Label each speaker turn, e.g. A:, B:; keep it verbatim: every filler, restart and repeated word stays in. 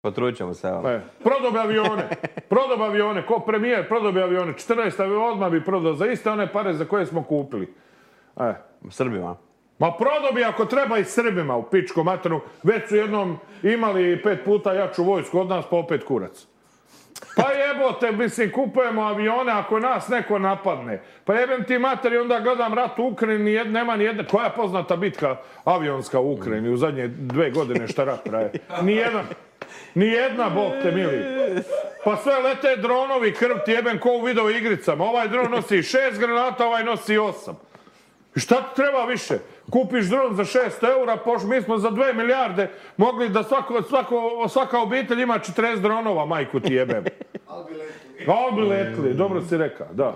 A: Potrudit ćemo se, evo.
B: E, prodao bi avione, prodao bi avione, ko premijer prodao bi avione, četrnaest aviona odmah bi prodao za iste one pare za koje smo kupili. E.
A: Srbima.
B: Ma prodao bi ako treba i Srbima u pičku maternu, već su jednom imali pet puta jaču vojsku od nas, pa opet kurac. Pa jebote, mislim, kupujemo avione ako nas neko napadne. Pa jebem ti materi, onda gledam rat u Ukrajini, nema ni jedna, koja je poznata bitka avionska u Ukrajini u zadnje dve godine šta rat traje. Nijedan. Nijedna, Bog te mili. Pa sve lete dronovi, krv ti jebem ko u video igricama. Ovaj dron nosi šest granata, ovaj nosi osam. I šta ti treba više? Kupiš dron za šest eura, poš, mi smo za dve milijarde mogli da svako, svako, svaka obitelj ima četrdeset dronova, majku ti jebem. Al bi letili. Al bi letili, dobro si rekao, da.